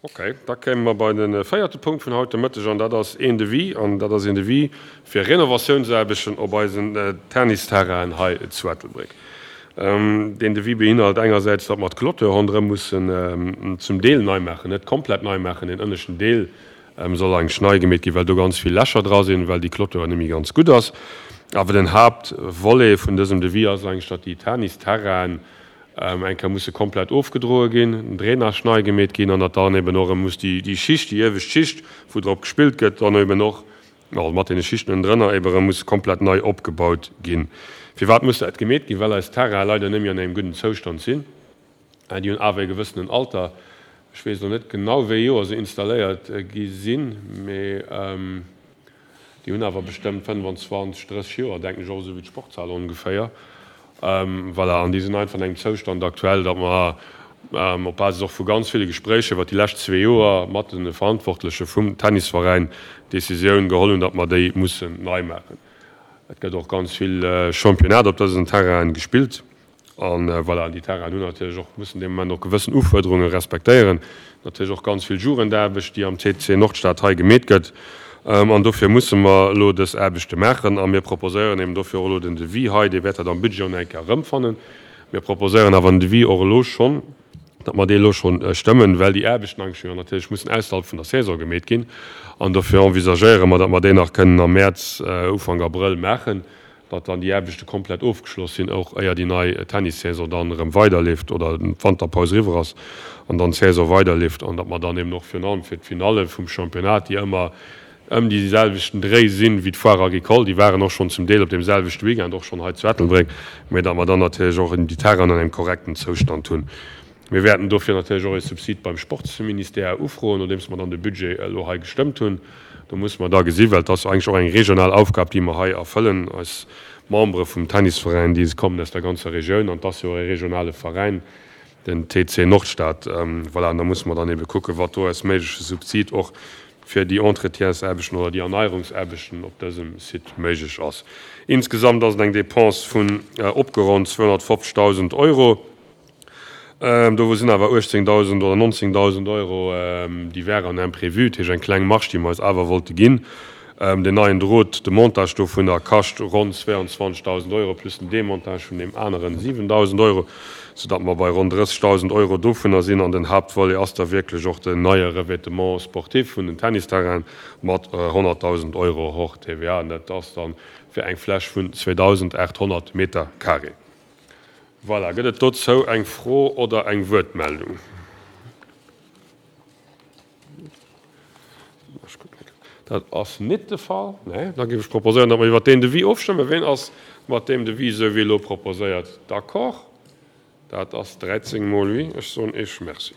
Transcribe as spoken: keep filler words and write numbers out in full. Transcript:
Okay, da kéime mer bei de véierte Punkt vun haut de Mëtteg an dat ass een Devis an dat ass een Devis fir Renovatiounsaarbechten op eisen Tennisterrainen hei zu Ettelbréck. Deen Devis beinhalt engersäits, datt mer d'Clôture ronderëm mussen zum Deel nei maachen, net komplett nei maachen. Deen ënneschten Deel soll eigentlech nei gemeet ginn, well do ganz vill Lächer dra sinn, well déi Clôture net méi ganz gutt ass. Awer den Haaptvolet vun dësem Devis ass eigentlech, datt déi Tennisterrainen eng Kéier musse komplett ofgedroe ginn, den Drainage nei gemeet ginn an datt dann eben och erëm muss déi Schicht, déi iewescht Schicht, wou drop gespillt gëtt, dann eben och, also mat deene Schichten ënnendrënner, eben erëm muss komplett nei opgebaut ginn. Firwat muss dat gemeet ginn? Well eis Terrainen leider net méi an engem gudden Zoustand sinn. Déi hunn awer e gewëssenen Alter. Ech weess elo net genau, wéi ee Joer se installéiert gi sinn, mee déi hunn awer bestëmmt fënnwanzwanzeg, drësseg Joer, denken ech, och esou wéi d'Sportshal ongeféier. Voilà, an déi sinn einfach an engem Zoustand aktuell, datt mer op Basis och vu ganz ville Gespréicher iwwert déi lescht zwee Joer mat de Verantwortleche vum Tennisveräin d'Decisioun geholl hunn, datt mer déi mussen nei maachen. Et gëtt och ganz vill Championnat op dësen Terrainen gespillt. An voilà, déi Terrainen hunn natierlech och, mussen dee Moment och gewëssen Ufuerderunge respektéieren. Natierlech och ganz vill Jugendaarbecht, déi am T C Nordstad hei gemeet gëtt. An dofir musse mer elo dës Aarbechte maachen. A mir proposéieren eben dofir och elo den Devis hei. Dir wäert dat am Budget och nach eng Kéier erëmfannen. Mir proposéieren awer den Devis och elo schonn, datt mer dee elo schonn stëmmen, well déi Aarbechten eigentlech jo natierlech mussen ausserhalb vun der Saison gemeet ginn. An dofir envisagéiere mer, datt mer déi nach kënnen am Mäerz, Ufank Abrëll maachen, datt dann déi Aarbechte komplett ofgeschloss sinn, och éier déi nei Tennissaison dann erëm weiderleeft oder d'Wanterpaus eriwwer ass an dann d'Saison weiderleeft an datt mer dann eben och virun allem fir d'Finalle vum Championnat, déi ëmmer ëm déi selwechten Dréi sinn wéi d'Foire Agricole, déi waren och schonn zum Deel op deem selwechte Weekend och schonn hei zu Ettelbréck, mä datt mer dann natierlech och déi Terrainen an engem korrekten Zoustand hunn. Mir wäerten dofir natierlech och e Subsid beim Sportsministère ufroen, nodeems mer dann de Budget elo hei gestëmmt hunn. Do musse mer da gesinn, well et ass eigentlech och eng regional Aufgab, déi mer hei erfëllen. Eis Membere vum Tennisveräin, déi kommen aus der ganzer Regioun an et ass jo och e regionale Veräin, den T C Nordstad. Voilà, an da musse mer dann ebe kucken, wat do als méigleche Subsid och fir déi Entretiensaarbechten oder déi Erneierungsaarbechten op dësem Site méiglech ass. Insgesamt ass et eng Dépense vun opgeronnt zweehonnertfofzegdausend Euro. Dovu sinn awer uechtzéngdausend oder nonzéngdausend Euro, déi wären imprévu, dat heescht eng kleng Marge, déi mer eis awer wollte ginn. Deen neien Drot, de Montage dovunner kascht ronn zwéianzwanzegdausend Euro plus den Demontage vun deem aneren siwendausend Euro, soudatt mer bei ronn drëssegdausend Euro dovunner sinn. An den Haaptvolet ass da wierklech och den neie Revêtement sportif vun den Tennisterrainen mat honnertdausend Euro hors T V A. An dat ass dann fir eng Fläch vun zweedausendaathonnert Meter carré. Voilà, gëtt et dozou eng Fro oder eng Wuertmeldung? Dat ass nit de Fall. Nee, da géif ech proposéieren, datt mer iwwert deen Devis ofstëmmen. Ween ass mat deem Devis, esou wéi elo proposéiert, d'accord? Dat ass dräizéng mol oui. Ech soen Iech Merci.